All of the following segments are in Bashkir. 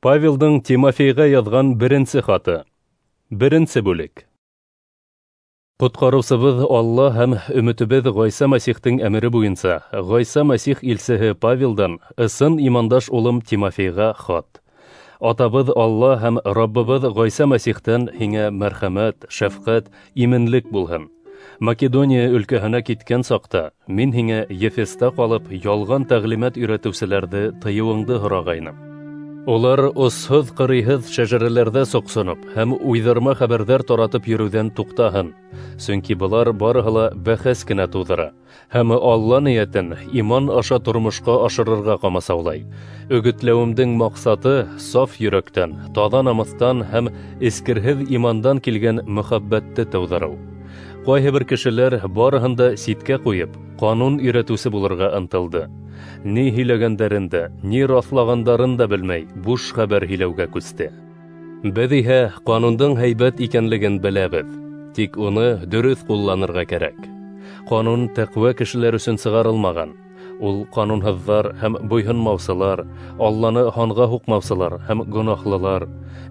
Павелдың Тимофейға яҙған беренсе хаты. Беренсе бүлек. Ҡотҡарыусыбыҙ Алла һәм өмөтөбөҙ Ғайса Мәсихтең әмере буйынса Ғайса Мәсих илсеһе Павелдан ысын имандаш улым Тимофейға хат. Атабыҙ Алла һәм Раббыбыҙ Ғайса Мәсихтән һиңә мәрхәмәт, шәфҡәт, именлек булһын. Македония өлкәһенә киткән саҡта мин һиңә Ефеста ҡалып ялған тәғлимәт өйрәтеүселәрҙе тыйыуыңды һорағайным. Улар осһоҙ ҡырыйһыҙ шәжәрәләрҙә соҡсоноп һәм уйҙырма хәбәрҙәр таратып йөрөүҙән туҡтаһын, сөнки былар барыһы ла бәхәс кенә тыуҙыра һәм Алла ниәтен иман аша тормошҡа ашырырға ҡамасаулай. Өгөтләүемдең маҡсаты саф йөрәктән, таҙа намыҫтан һәм эскерһеҙ имандан килгән мөхәббәтте тыуҙырыу. Ҡайһы бер кешеләр барыһын да ситкә ҡуйып, ҡанун өйрәтеүсе булырға ынтылды. Ни һөйләгәндәрен дә, ни раҫлағандарын да белмәй, буш хәбәр һөйләүгә күсте. Беҙ иһә ҡанундың һәйбәт икәнлеген беләбеҙ, тик уны дөрөҫ ҡулланырға кәрәк. Ҡанун тәҡүә кешеләр өсөн сығарылмаған. Ул ҡанунһыҙҙар һәм буйһонмаусылар, Алланы һанға һуҡмаусылар һәм гонаһлылар,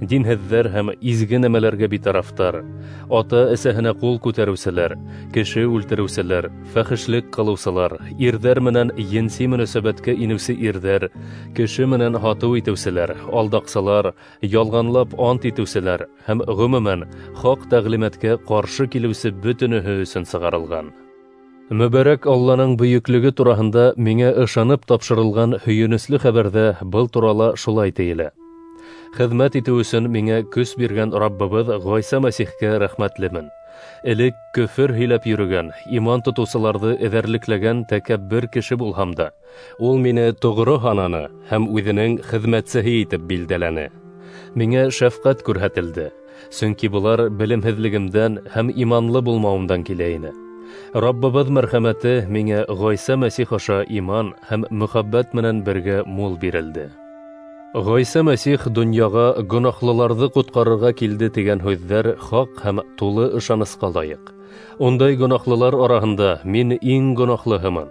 динһеҙҙәр һәм изге нәмәләргә битарафтар, ата-әсәһенә ҡул күтәреүселәр, кеше үлтереүселәр, фәхешлек ҡылыусылар, ирҙәр менән енси мөнәсәбәткә инеүсе ирҙәр, кеше менән һатыу итеүселәр, алдаҡсылар, ялғанлап ант итеүселәр һәм ғөмүмән хаҡ тәғлимәткә ҡаршы килеүсе бөтөнөһө өсөн сығарылған. Мөбәрәк Алланың бөйөклөгө тураһында миңә ышанып тапшырылған һөйөнөслө хәбәрҙә был турала шулай тейелә. Хеҙмәт итеү өсөн миңә көс биргән Раббыбыҙ Ғайса Мәсихкә рәхмәтлемен. Элек көфөр һөйләп йөрөгән, иман тотоусыларҙы эҙәрлекләгән тәкәббер кеше булһам да, ул мине тоғро һананы һәм үҙенең хеҙмәтсеһе итеп билдәләне. Миңә шәфҡәт күрһәтелде, сөнки былар белемһеҙлегемдән һәм иманлы булмауымдан килә ине. Раббыбыҙ мәрхәмәте миңә Ғайса Мәсих аша иман һәм мөхәббәт менән бергә мул бирелде. Ғайса Мәсих донъяға гонаһлыларҙы ҡотҡарырға килде тигән һүҙҙәр хаҡ һәм тулы ышанысҡа лайыҡ. Ундай гонаһлылар араһында мин иң гонаһлыһымын.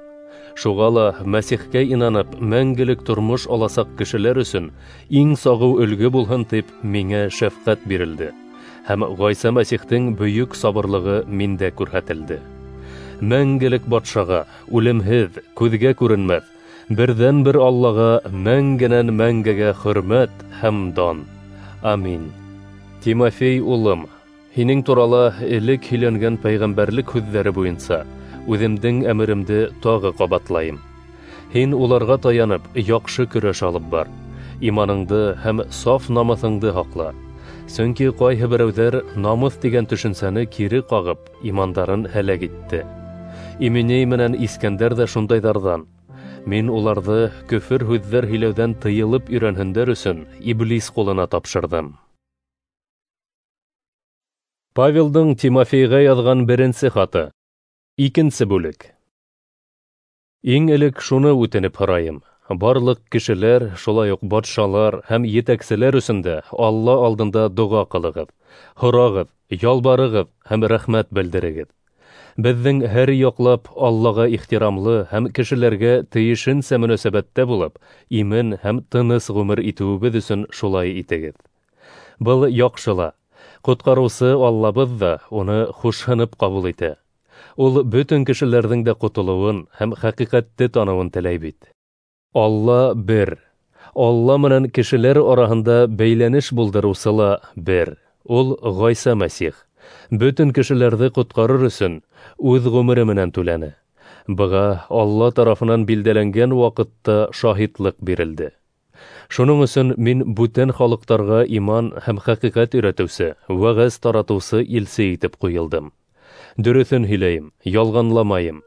Шуға ла Мәсихкә инанып мәңгелек тормош аласаҡ кешеләр өсөн иң сағыу өлгө булһын тип миңә шәфҡәт бирелде. Һәм Ғайса Мәсихтең бөйөк сабырлығы миндә күрһәтелде. Мәңгелек батшаға, үлемһеҙ, күҙгә күренмәҫ, берҙән-бер Аллаға мәңгенән мәңгегә хөрмәт һәм дан. Амин. Тимофей улым, һинең турала элек һөйләнгән пәйғәмбәрлек һүҙҙәре буйынса үҙемдең әмеремде тағы ҡабатлайым. Һин уларға таянып, яҡшы көрәш алып бар. Иманыңды һәм саф намыҫыңды һаҡла. Сөнки ҡайһы берәүҙәр намыҫ тигән төшөнсәне кире ҡағып, имандарын һәләк итте. Именей менән Искәндәр ҙә шундайҙарҙан. Мин уларҙы көфөр һүҙҙәр һөйләүҙән тыйылып өйрәнһендәр өсөн иблис ҡулына тапшырҙым. Павелдың Тимофейға яҙған беренсе хаты. Икенсе бүлек. Иң элек шуны үтенеп һорайым. Барлыҡ кешеләр, шулай уҡ батшалар һәм етәкселәр өсөн дә Алла алдында доға ҡылығыҙ, һорағыҙ, ялбарығыҙ һәм рәхмәт белдерегеҙ. Беҙҙең һәр яҡлап Аллаға ихтирамлы һәм кешеләргә тейешенсә мөнәсәбәттә булып, имен һәм тыныс ғүмер итеүебеҙ өсөн шулай итегеҙ. Был яҡшы ла. Ҡотҡарыусы Аллабыҙ ҙа уны хушһынып ҡабул итә. Ул бөтөн кешеләрҙең дә ҡотолоуын һәм хәҡиҡәтте таныуын теләй бит. Алла бер. Алла менән кешеләр араһында бәйләнеш булдырыусы ла бер. Ул Ғайса Мәсих. Бөтөн кешеләрҙе ҡотҡарыр өсөн үҙ ғүмере менән түләне. Быға Алла тарафынан билдәләнгән ваҡытта шаһитлыҡ бирелде. Шуның өсөн мин бүтән халыҡтарға иман һәм хәҡиҡәт өйрәтеүсе, вәғәз таратыусы илсе итеп ҡуйылдым. Дөрөҫөн һөйләйем, ялғанламайым.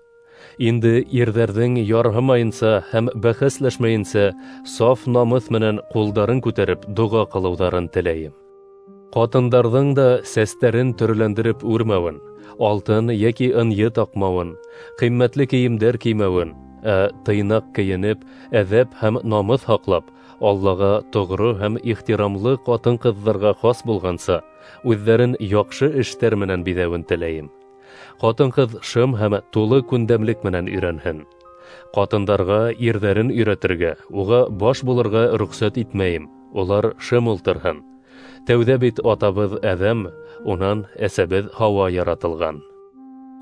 Инде ирҙәрҙең ярһымайынса һәм бәхәсләшмәйенсә саф намыҫ менән ҡулдарын күтәреп доға ҡылыуҙарын теләйем. Ҡатындарҙың да сәстәрен төрләндереп үрмәүен, алтын йәки ынйы таҡмауын, ҡиммәтле кейемдәр кеймәүен, ә тыйнаҡ кейенеп, әҙәп һәм намыҫ һаҡлап, Аллаға тоғро һәм ихтирамлы ҡатын-ҡыҙҙарға хас булғанса, үҙҙәрен яҡшы эштәр менән биҙәүен теләйем. Ҡатын-ҡыҙ шым һәм тулы күндәмлек менән өйрәнһен. Ҡатындарға ирҙәрен өйрәтергә, уға баш булырға рөхсәт итмәйем. Улар шым ултырһын. Тәүҙә бит атабыҙ Әҙәм, унан әсәбеҙ Һауа яратылған.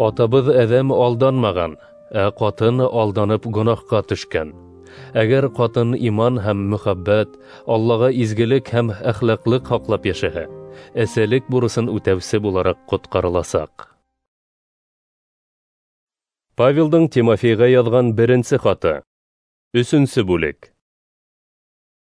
Атабыҙ Әҙәм алданмаған, ә ҡатын алданып гонаһҡа төшкән. Әгәр ҡатын иман һәм мөхәббәт, Аллаға изгелек һәм әхлаҡлыҡ һаҡлап йәшәһә, әсәлек бурысын үтәүсе булараҡ ҡотҡарыласаҡ. Павелдың Тимофейға яҙған беренсе хаты. 3-нсе бүлек.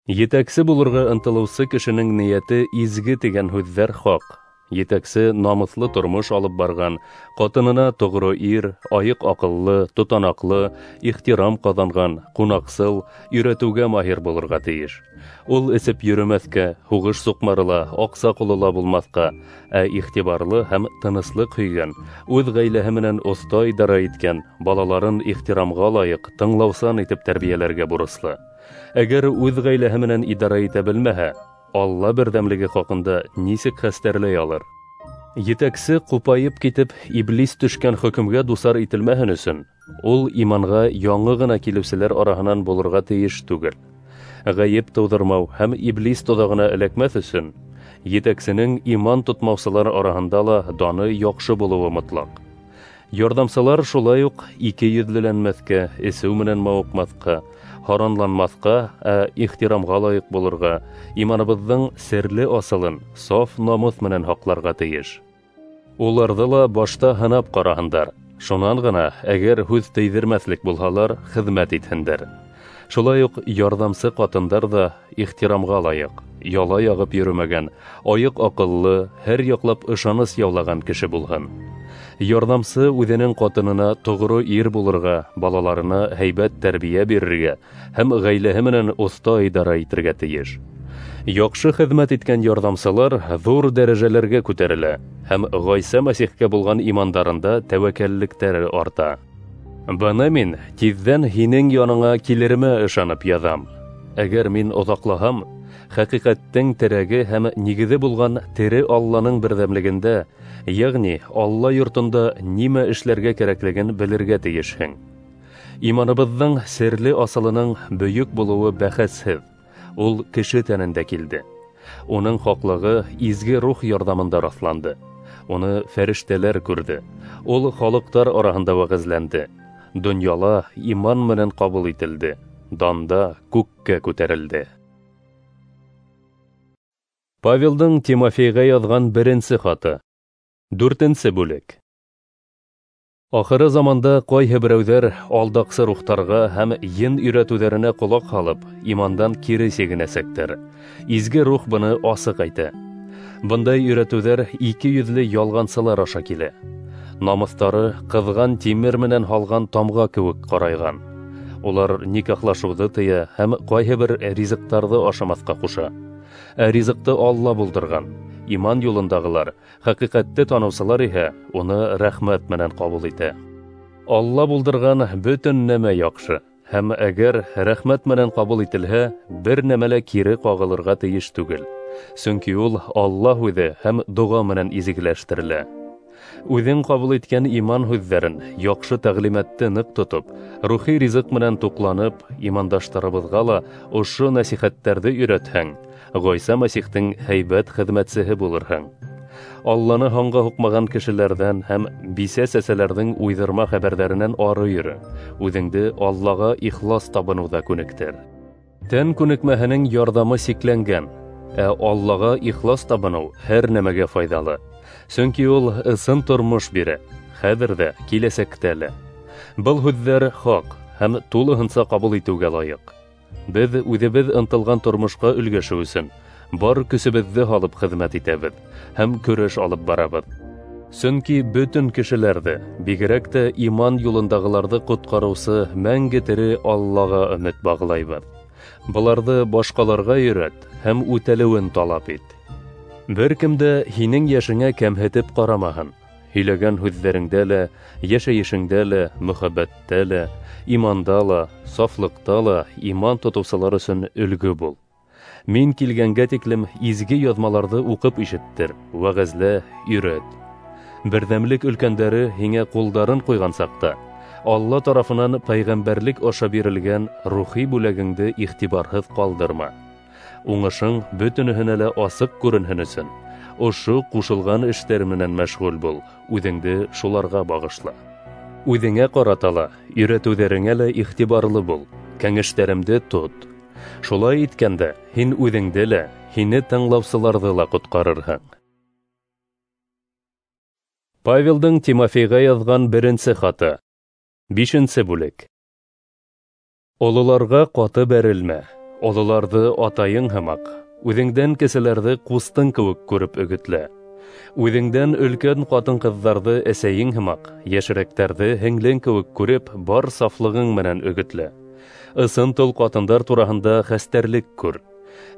Етәксе булырға ынтылыусы кешенең ниәте изге тигән һүҙҙәр хаҡ. Етәксе намыҫлы тормош алып барған, ҡатынына тоғро ир, айыҡ аҡыллы, тотанаҡлы, ихтирам ҡаҙанған, ҡунаҡсыл, өйрәтеүгә маһир булырға тейеш. Ул эсеп йөрөмәҫкә, һуғыш суҡмары ла, аҡса ҡоло ла булмаҫҡа, ә иғтибарлы һәм тыныслыҡ һөйгән, үҙ ғаиләһе менән оҫта идара иткән, балаларын ихтирамға лайыҡ, тыңлаусан итеп тәрбиәләргә бурыслы. Әгәр үҙ ғаиләһе менән идара итә белмәһә, Алла берҙәмлеге хаҡында нисек хәстәрләй алыр? Етәксе ҡупайып китеп, иблис төшкән хөкөмгә дусар ителмәһен өсөн, ул иманға яңы ғына килеүселәр араһынан булырға тейеш түгел. Ғәйеп тыуҙырмау һәм иблис тоҙағына эләкмәҫ өсөн, етәксенең иман тотмаусылар араһында ла даны яҡшы булыуы мотлаҡ. Ярҙамсылар шулай уҡ ике йөҙлөләнмәҫкә, эсеү менән мауыҡмаҫҡа, һаранланмаҫҡа, ә ихтирамға лайыҡ булырға, иманыбыҙҙың серле асылын саф намыҫ менән һаҡларға тейеш. Уларҙы ла башта һынап ҡараһындар, шунан ғына, әгәр һүҙ тейҙермәҫлек булһалар, хеҙмәт итһендәр. Шулай уҡ ярҙамсы ҡатындар ҙа ихтирамға лайыҡ, яла яғып йөрөмәгән, айыҡ аҡыллы, һәр яҡлап ышаныс яулаған кеше булһын. Ярҙамсы үҙенең ҡатынына тоғро ир булырға, балаларына һәйбәт тәрбиә бирергә һәм ғаиләһе менән оҫта идара итергә тейеш. Яҡшы хеҙмәт иткән ярҙамсылар ҙур дәрәжәләргә күтәрелә һәм Ғайса Мәсихкә булған имандарында тәүәккәллектәре арта. Быны мин тиҙҙән һинең яныңа килеремә ышанып яҙам. Әгәр мин оҙаҡлаһам, хәҡиҡәттең терәге һәм нигеҙе булған тере Алланың берҙәмлегендә, йәғни Алла йортонда нимә эшләргә кәрәклеген белергә тейешһең. Иманыбыҙҙың серле асылының бөйөк булыуы бәхәсһеҙ. Ул кеше тәнендә килде. Уның хаҡлығы изге рух ярҙамында раҫланды. Уны фәрештәләр күрҙе. Ул халыҡтар араһында вәғәзләнде. Донъяла иман менән ҡабул ителде. Данда күккә күтәрелде. Павелдың Тимофейға яҙған беренсе хаты. 4-нсе бүлек. Ахыры заманда ҡайһы берәүҙәр алдаҡсы рухтарға һәм ен өйрәтеүҙәренә ҡолаҡ һалып, имандан кире сигенәсәктәр. Изге рух быны асыҡ әйтә. Бындай өйрәтеүҙәр ике йөҙлө ялғансылар аша килә. Намыҫтары ҡыҙған тимер менән һалған тамға кеүек ҡарайған. Улар никахлашыуҙы тыя һәм ҡайһы бер ризыҡтарҙы ашамаҫҡа ҡуша. Ә ризыҡты Алла булдырған. Иман юлындағылар, хәҡиҡәтте таныусылар иһә уны рәхмәт менән ҡабул итә. Алла булдырған бөтөн нәмә яҡшы, һәм әгәр рәхмәт менән ҡабул ителһә, бер нәмә лә кире ҡағылырға тейеш түгел. Сөнки ул Алла һүҙе һәм доға менән изгеләштерелә. Үҙең ҡабул иткән иман һүҙҙәрен, яҡшы тәғлимәтте ныҡ тотоп, рухи ризыҡ менән туҡланып, имандаштарыбыҙға ла ошо нәсихәттәрҙе өйрәтһәң, Ғайса Мәсихтең һәйбәт хеҙмәтсеһе булырһың. Алланы һанға һуҡмаған кешеләрҙән һәм бисә-сәсәләрҙең уйҙырма хәбәрҙәренән ары йөрө, үҙеңде Аллаға ихлас табыныуҙа күнектер. Тән күнекмәһенең ярҙамы сикләнгән, ә Аллаға ихлас табыныу һәр нәмәгә файҙалы. Сөнки ул ысын тормош бирә, хәҙер ҙә, киләсәктә лә. Был һүҙҙәр хаҡ һәм тулыһынса ҡабул итеүгә лайыҡ. Беҙ үҙебеҙ ынтылған тормошҡа өлгәшеү өсөн бар көсөбөҙҙө һалып хеҙмәт итәбеҙ һәм көрәш алып барабыҙ. Сөнки бөтөн кешеләрҙе, бигерәк тә иман юлындағыларҙы ҡотҡарыусы мәңге тере Аллаға өмөт бағлайбыҙ. Быларҙы башҡаларға өйрәт һәм үтәлеүен талап ит. Бер кем дә һинең йәшеңә кәмһетеп ҡарамаһын. Һөйләгән һүҙҙәреңдә лә, йәшәйешеңдә лә, мөхәббәттә лә, иманда ла, сафлыҡта ла иман тотоусылар өсөн өлгө бул. Мин килгәнгә тиклем изге яҙмаларҙы уҡып ишеттер, вәғәзлә, өйрәт. Берҙәмлек өлкәндәре һиңә ҡулдарын ҡуйған саҡта, Алла тарафынан пәйғәмбәрлек аша бирелгән рухи бүләгеңде иғтибарһыҙ ҡалдырма. Уңышың бөтөнөһөнә лә асыҡ күренһен өсөн, ошо ҡушылған эштәр менән мәшғүл бул, үҙеңде шуларға бағышла. Үҙеңә ҡарата ла, өйрәтеүҙәреңә лә иғтибарлы бул, кәңәштәремде тот. Шулай иткәндә, һин үҙеңде лә, һине тыңлаусыларҙы ла ҡотҡарырһың. Павелдың Тимофейға яҙған беренсе хаты. 5-нсе бүлек. Ололарға ҡаты бәрелмә, ололарҙы атайың һымаҡ, үҙеңдән кеселәрҙе ҡустың кеүек күреп өгөтлә. Үҙеңдән өлкән ҡатын-ҡыҙҙарҙы әсәйең һымаҡ, йәшерәктәрҙе һеңлең кеүек күреп, бар сафлығың менән өгөтлә. Ысын тол ҡатындар тураһында хәстәрлек күр.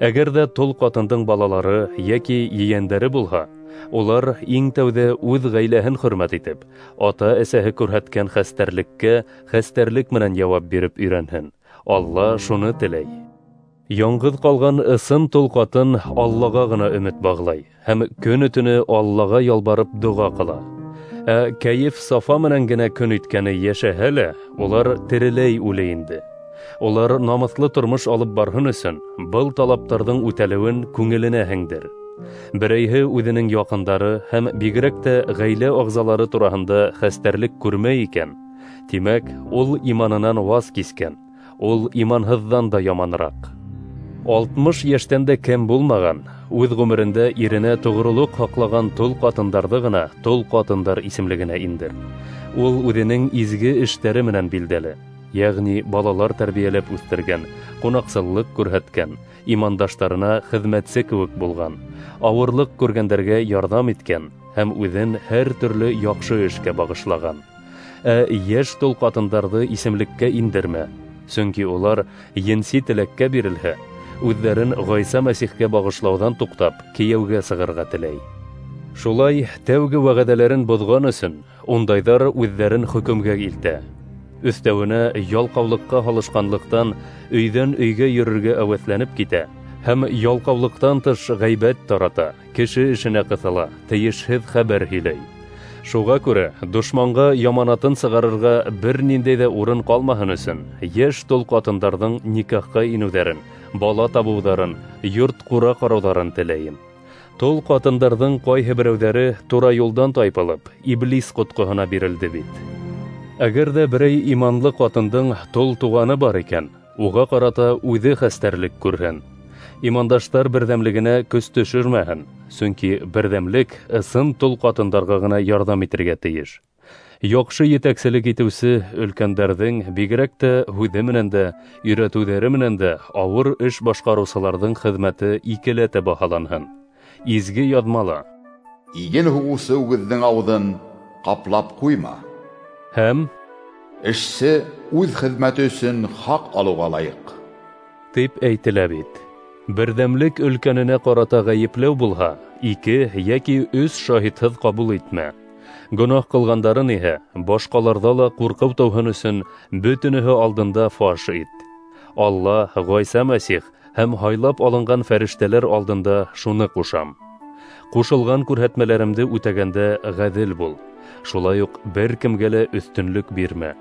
Әгәр ҙә тол ҡатындың балалары йәки ейәндәре булһа, улар иң тәүҙә үҙ ғаиләһен хөрмәт итеп, ата-әсәһе күрһәткән хәстәрлеккә хәстәрлек менән яуап биреп өйрәнһен. Алла шуны теләй. Яңғыҙ ҡалған ысын тол ҡатын Аллаға ғына өмөт бағлай һәм көнө-төнө Аллаға ялбарып доға ҡыла. Ә кәйеф-сафа менән генә көн иткәне йәшәһә лә, улар тереләй үлә инде. Улар намыҫлы тормош алып барһын өсөн был талаптарҙың үтәлеүен күңеленә һеңдер. Берәйһе үҙенең яҡындары һәм бигерәк тә ғаилә ағзалары тураһында хәстәрлек күрмәй икән, тимәк, ул иманынан ваз кискән, ул иманһыҙҙан да яманыраҡ. 60 йәштән дә кем булмаған, үҙ ғүмерендә иренә тоғролоҡ һаҡлаған тол ҡатындарҙы ғына тол ҡатындар исемлегенә индер. Ул үҙенең изге эштәре менән билдәле, йәғни балалар тәрбиәләп үҫтергән, ҡунаҡсыллыҡ күрһәткән, имандаштарына хеҙмәтсе кеүек булған, ауырлыҡ күргәндәргә ярҙам иткән һәм үҙен һәр төрлө яҡшы эшкә бағышлаған. Ә йәш тол ҡатындарҙы исемлеккә индермә, сөнки улар енси теләккә бирелһә, үҙҙәрен Ғайса Мәсихкә бағышлауҙан туҡтап, кейәүгә сығырға теләй. Шулай тәүге вәғәҙәләрен боҙған өсөн ундайҙар үҙҙәрен хөкөмгә илтә. Өҫтәүенә ялҡаулыҡҡа һалышҡанлыҡтан өйҙән өйгә йөрөргә әүәҫләнеп китә һәм ялҡаулыҡтан тыш ғәйбәт тарата, кеше эшенә ҡыҫыла, тейешһеҙ хәбәр һөйләй. Шуға күрә дошманға яманатын сығарырға бер ниндәй ҙә урын ҡалмаһын өсөн йәш тол ҡатындарҙың никахҡа инеүҙәрен, бала табыуҙарын, йорт-ҡура ҡарауҙарын теләйем. Тол ҡатындарҙың ҡайһы берәүҙәре тура юлдан тайпылып, иблис ҡотҡоһона бирелде бит. Әгәр ҙә берәй иманлы ҡатындың тол туғаны бар икән, уға ҡарата үҙе хәстәрлек күрһен. Имандаштар берҙәмлегенә көс төшөрмәһен, сөнки берҙәмлек ысын тол ҡатындарға ғына ярҙам итергә тейеш. Яҡшы етәкселек итеүсе өлкәндәрҙең бигерәк тә һүҙе менән дә, өйрәтеүҙәре менән дә ауыр эш башҡарыусыларҙың хеҙмәте икеләтә баһаланһын. Изге яҙмала: Иген һуғыусы үгеҙҙең ауыҙын ҡаплап ҡуйма. Һәм эшсе үҙ хеҙмәте өсөн хаҡ алыуға лайыҡ, тип әйтелә бит. Берҙәмлек өлкәненә ҡарата ғәйепләү булһа, 2 йәки 3 шаһитһыҙ ҡабул итмә. Гонаһ ҡылғандарын иһә башҡаларҙа ла ҡурҡыу тыуһын өсөн бөтөнөһө алдында фаш ит. Алла, Ғайса Мәсих һәм һайлап алынған фәрештәләр алдында шуны ҡушам. Ҡушылған күрһәтмәләремде үтәгәндә ғәҙел бул. Шулай уҡ бер кемгә лә өҫтөнлөк бирмә.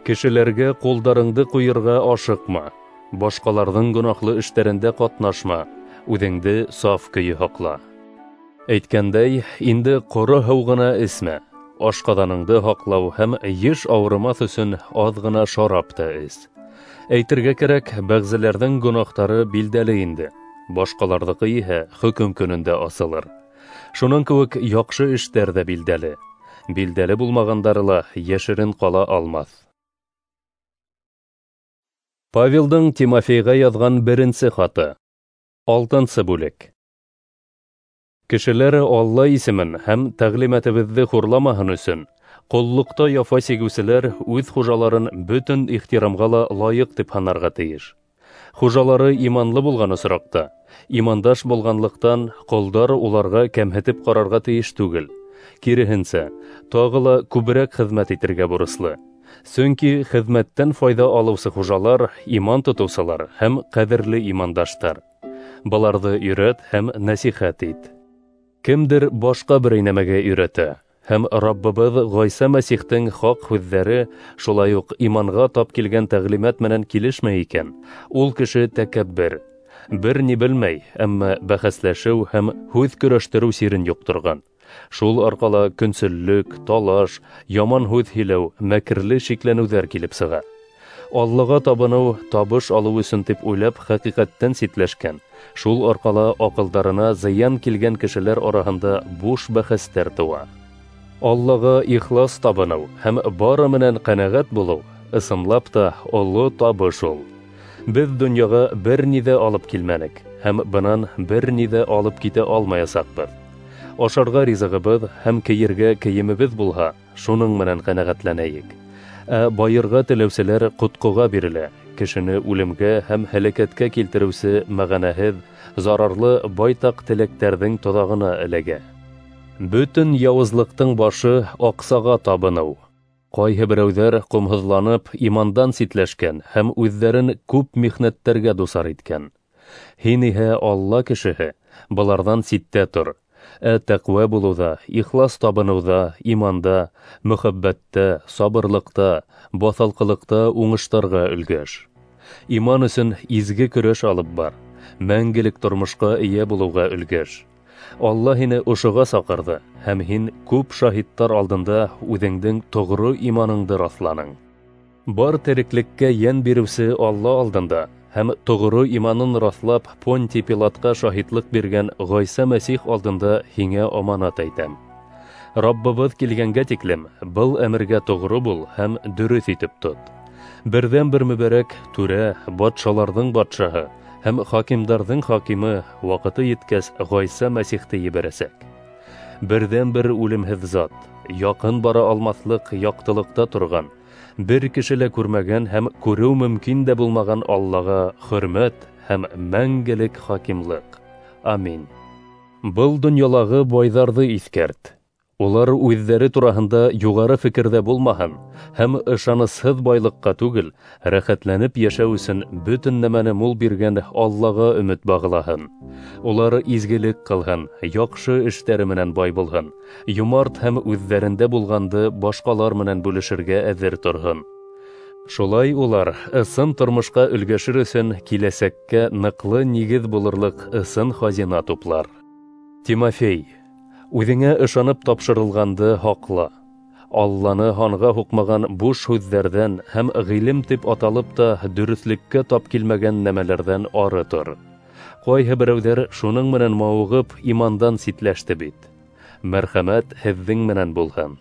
Кешеләргә ҡулдарыңды ҡуйырға ашыҡма. Башҡаларҙың гонаһлы эштәрендә ҡатнашма, үҙеңде саф көйө һаҡла. Әйткәндәй, инде ҡоро һыу ғына эсмә. Ашҡаҙаныңды һаҡлау һәм йыш ауырымаҫ өсөн аҙ ғына шарап та эс. Әйтергә кәрәк, бәғзеләрҙең гонаһтары билдәле инде. Башҡаларҙыҡы иһә хөкөм көнөндә асылыр. Шуның кеүек яҡшы эштәр ҙә билдәле. Билдәле булмағандары ла йәшерен ҡала алмаҫ. Павелдың Тимофейға яҙған беренсе хаты. 6-нсы бүлек. Кешеләр Алла исемен һәм тәғлимәтебеҙҙе хурламаһын өсөн, ҡоллоҡта яфа сигеүселәр үҙ хужаларын бөтөн ихтирамға ла лайыҡ тип һанарға тейеш. Хужалары иманлы булған осраҡта, имандаш булғанлыҡтан ҡолдар уларға кәмһетеп ҡарарға тейеш түгел. Киреһенсә, тағы ла күберәк хеҙмәт итергә бурыслы. Сөнки хеҙмәттән файҙа алыусы хужалар иман тотоусылар һәм ҡәҙерле имандаштар. Быларҙы өйрәт һәм нәсихәт ит. Кемдер башҡа берәй нәмәгә өйрәтә, һәм Раббыбыҙ Ғайса Мәсихтең хаҡ һүҙҙәре шулай уҡ иманға тап килгән тәғлимәт менән килешмәй икән, ул кеше тәкәббер. Бер ни белмәй, әммә бәхәсләшеү һәм һүҙ көрәштереү сирен йоҡторған. Шул арҡала көнсөллөк, талаш, яман һүҙ һөйләү, мәкерле шикләнеүҙәр килеп сыға. Аллаға табыныу табыш алыу өсөн тип уйлап хәҡиҡәттән ситләшкән, шул арҡала аҡылдарына зыян килгән кешеләр араһында буш бәхәстәр тыуа. Аллаға ихлас табыныу һәм бары менән ҡәнәғәт булыу ысынлап та оло табыш ул. Беҙ донъяға бер ни ҙә алып килмәнек һәм бынан бер ни ҙә алып китә алмаясаҡбыҙ. Ашарға ризығыбыҙ һәм кейергә кейемебеҙ булһа, шуның менән ҡәнәғәтләнәйек. Ә байырға теләүселәр ҡотҡоға бирелә, кешене үлемгә һәм һәләкәткә килтереүсе мәғәнәһеҙ, зарарлы байтаҡ теләктәрҙең тоҙағына эләгә. Бөтөн яуызлыҡтың башы аҡсаға табыныу. Ҡайһы берәүҙәр ҡомһоҙланып имандан ситләшкән һәм үҙҙәрен күп михнәттәргә дусар иткән. Һин иһә Алла кешеһе, быларҙан ситтә тор. Ә тәҡүә булыуҙа, ихлас табыныуҙа, иманда, мөхәббәттә, сабырлыҡта, баҫалҡылыҡта уңыштарға өлгәш. Иман өсөн изге көрәш алып бар, мәңгелек тормошҡа эйә булыуға өлгәш. Алла һине ошоға саҡырҙы, һәм һин күп шаһиттар алдында үҙеңдең тоғро иманыңды раҫланың. Бар тереклеккә йән биреүсе Алла алдында һәм тоғро иманын раҫлап Понтий Пилатҡа шаһитлыҡ биргән Ғайса Мәсих алдында һиңә аманат әйтәм. Раббыбыҙ килгәнгә тиклем был әмергә тоғро бул һәм дөрөҫ итеп тот. Берҙән-бер мөбәрәк түрә, батшаларҙың батшаһы һәм хакимдарҙың хакимы ваҡыты еткәс Ғайса Мәсихте ебәрәсәк. Берҙән-бер үлемһеҙ зат, яҡын бара алмаҫлыҡ яҡтылыҡта торған, бер кеше лә күрмәгән һәм күреү мөмкин дә булмаған Аллаға хөрмәт һәм мәңгелек хакимлыҡ. Амин. Был донъялағы байҙарҙы иҫкәрт. Улар үҙҙәре тураһында юғары фекерҙә булмаһын һәм ышанысһыҙ байлыҡҡа түгел, рәхәтләнеп йәшәү өсөн бөтөн нәмәне мул биргән Аллаға өмөт бағлаһын. Улар изгелек ҡылһын, яҡшы эштәре менән бай булһын, йомарт һәм үҙҙәрендә булғанды башҡалар менән бүлешергә әҙер торһон. Шулай улар ысын тормошҡа өлгәшер өсөн киләсәккә ныҡлы нигеҙ булырлыҡ ысын хазина туплар. Тимофей, үҙеңә ышанып тапшырылғанды һаҡла. Алланы һанға һуҡмаған буш һүҙҙәрҙән һәм ғилем тип аталып та дөрөҫлөккә тап килмәгән нәмәләрҙән ары тор. Ҡайһы берәүҙәр шуның менән мауығып имандан ситләште бит. Мәрхәмәт һеҙҙең менән булһын.